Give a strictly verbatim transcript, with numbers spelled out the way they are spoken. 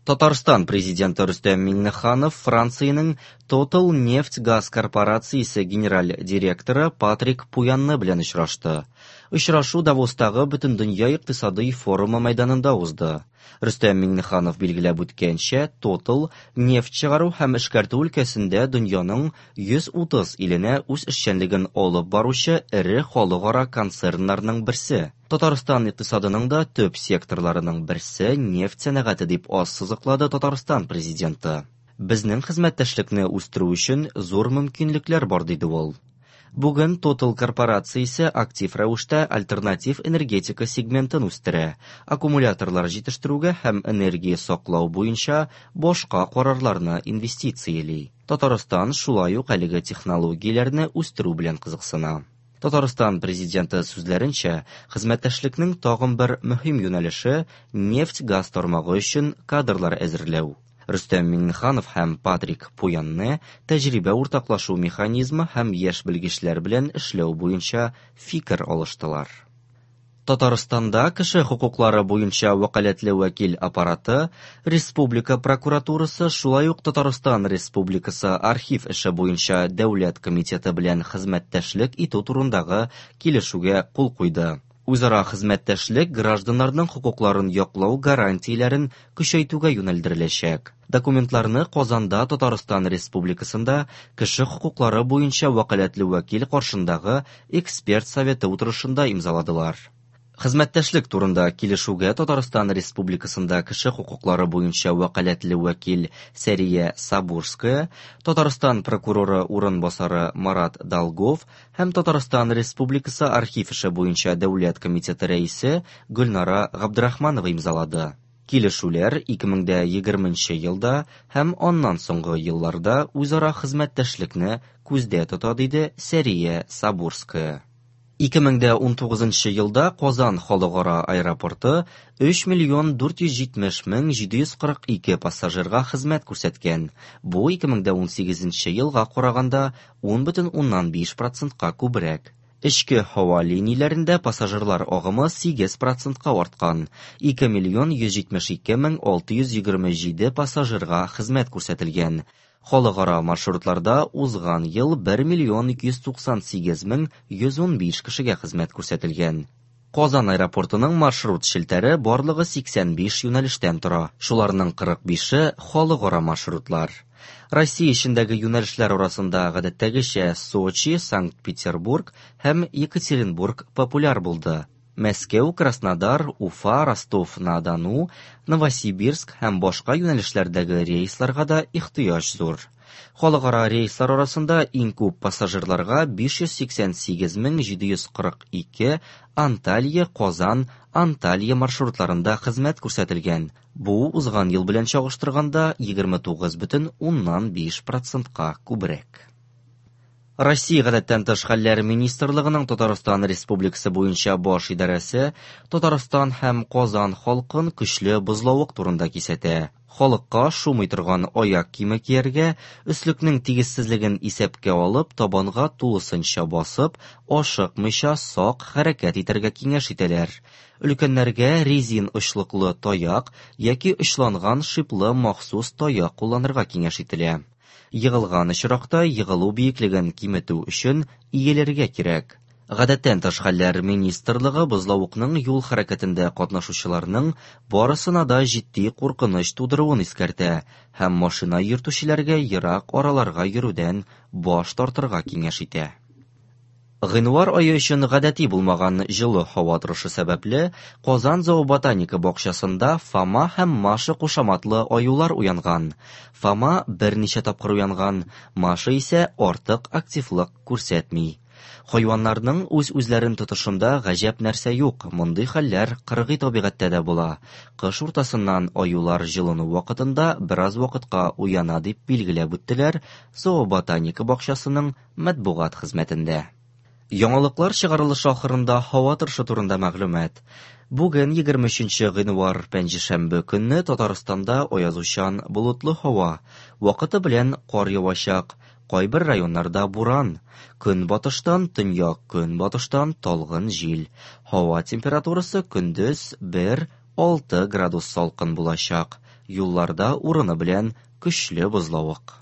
Татарстан Президенты Рөстәм Миңнеханов Франциянең Total нефть-газ корпорациясе генераль директоры Патрик Пуянне белән очрашты. Очрашу Давостагы Бөтендөнья икътисадый форумы мәйданында узды. Рөстәм Миңнеханов билгеләп үткәнчә, Total нефть чыгару һәм эшкәртү өлкәсендә дөньяның йөз утыз иленә үз эшчәнлеген алып баручы эре халыкара концерннарның берсе. Татарстан икътисадының да төп секторларының берсе нефть сәнәгате дип ассызыклады Татарстан Президенты. Безнең хезмәттәшлекне үстерү өчен зур мөмкинлекләр бар, диде ул. Бүген Total корпорациясе актив рәвештә альтернатив энергетика сегментын үстерә, аккумуляторлар җитештерүгә һәм энергия саклау буенча башка карарларны инвестицияли. Татарстан шулай ук әлеге технологияләрне үстерү белән кызыксына. Татарстан Президенты сүзләренчә, хезмәттәшлекнең тагын бер мөһим юнәлеше нефть-газ тармагы өчен кадрлар әзерләү. Рөстәм Миңнеханов һәм Патрик Пуянне тәҗрибә уртаклашу механизмы һәм яшь белгечләр белән эшләү буенча фикер алыштылар. Татарстанда кеше хокуклары буенча вәкаләтле вәкил аппараты, Республика прокуратурасы, шулай ук Татарстан Республикасы архив эше буенча дәүләт комитеты белән хезмәттәшлек итү турындагы килешүгә кул куйды. Үзара хезмәттәшлек гражданнарның хокукларын яклау гарантияләрен көчәйтүгә юнәлдереләчәк. Документларны Казанда Татарстан Республикасында кеше хокуклары буенча вәкаләтле вәкил каршындагы эксперт советы утырышында имзаладылар. Хезмәттәшлек турында килешүгә Татарстан Республикасында кеше хокуклары буенча вәкаләтле вәкил Сәрия Сабурская, Татарстан прокуроры урынбасары Марат Долгов һәм Татарстан Республикасы архив эше буенча дәүләт комитеты рәисе Гөлнара Габдрахманова имзалады. Килешүләр ике мең дә егерменче елда һәм аннан соңгы елларда үзара хезмәттәшлекне күздә тота, диде Сәрия Сабурская. Ике мең дә унтугызынчы елда Казан халыкара аэропорты өч миллион дүрт йөз җитмеш мең җиде йөз кырык ике пассажирга хезмәт күрсәткән. Бу ике мең дә унсигезенче елга караганда ун бөтен уннан биш процентка күбрәк. Эчке һава линияләрендә пассажирлар агымы сигез процентка арткан. Ике миллион йөз җитмеш ике мең алты йөз егерме җиде пассажирга хезмәт күрсәтелгән. Халыкара маршрутларда узган ел бер миллион ике йөз туксан сигез мең йөз унбиш кешегә хезмәт күрсәтелгән. Казан аэропортының маршрут челтәре барлыгы сиксән биш юнәлештән тора. Шуларның кырык бише халыкара маршрутлар. Россия эчендәге юнәлешләр арасында гадәттәгечә Сочи, Санкт-Петербург һәм Екатеринбург популяр булды. Мәскәү, Краснодар, Уфа, Ростов-на-Дону, Новосибирск һәм башка юнәлешләрдәге рейсларга да ихтыяҗ зур. Халыкара рейслар арасында иң күп пассажирларга биш йөз сиксән сигез мең җиде йөз кырык ике Анталья, Казан, Анталья маршрутларында хезмәт күрсәтелгән. Бу узган ел белән чагыштырганда егерме тугыз бөтен уннан биш процентка күбрәк. Россия гадәттән тыш хәлләр министрлыгының Татарстан Республикасы буенча баш идарәсе Татарстан һәм Казан халкын көчле бозлавык турында кисәтә. Халыкка шумый торган аяк киеме кияргә, өслекнең тигезсезлеген исәпкә алып, табанга тулысынча басып, ашыкмыйча сак хәрәкәт итәргә киңәш итәләр. Өлкәннәргә резин очлыклы таяк яки очланган шиплы махсус таяк кулланырга киңәш ителә. Егылган очракта егылу биеклеген киметү өчен иелергә кирәк. Гадәттән тыш хәлләр министрлыгы бозлавыкның юл хәрәкәтендә катнашучыларның барысына да җитди куркыныч тудыруын искәртә һәм машина йөртүчеләргә ерак араларга йөрүдән баш тартырга киңәш итә. Гыйнвар ае өчен гадәти булмаган җылы һава торышы сәбәпле Казан зооботаника бакчасында Фома һәм Маша кушаматлы аюлар уянган. Фома берничә тапкыр уянган, Маша исә артык активлык күрсәтми. Хайваннарның үз-үзләрен тотышында гаҗәп нәрсә юк, мондый хәлләр кыргый табигатьтә дә була. Кыш уртасыннан аюлар җылыну вакытында бераз вакытка уяна дип билгеләп үттеләр зооботаника бакчасының матбугат хезмәтендә. Яңалыклар чыгарылышы ахырында һава торышы турында мәгълүмат. Бүген егерме өченче гыйнвар пәнҗешәмбе көнне Татарстанда аязучан болытлы һава, вакыты белән кар явачак, кайбер районнарда буран, көнбатыштан төньяк көнбатыштан талгын җил. Һава температурасы көндез бер алты градус салкын булачак. Юлларда урыны белән көчле бозлавык.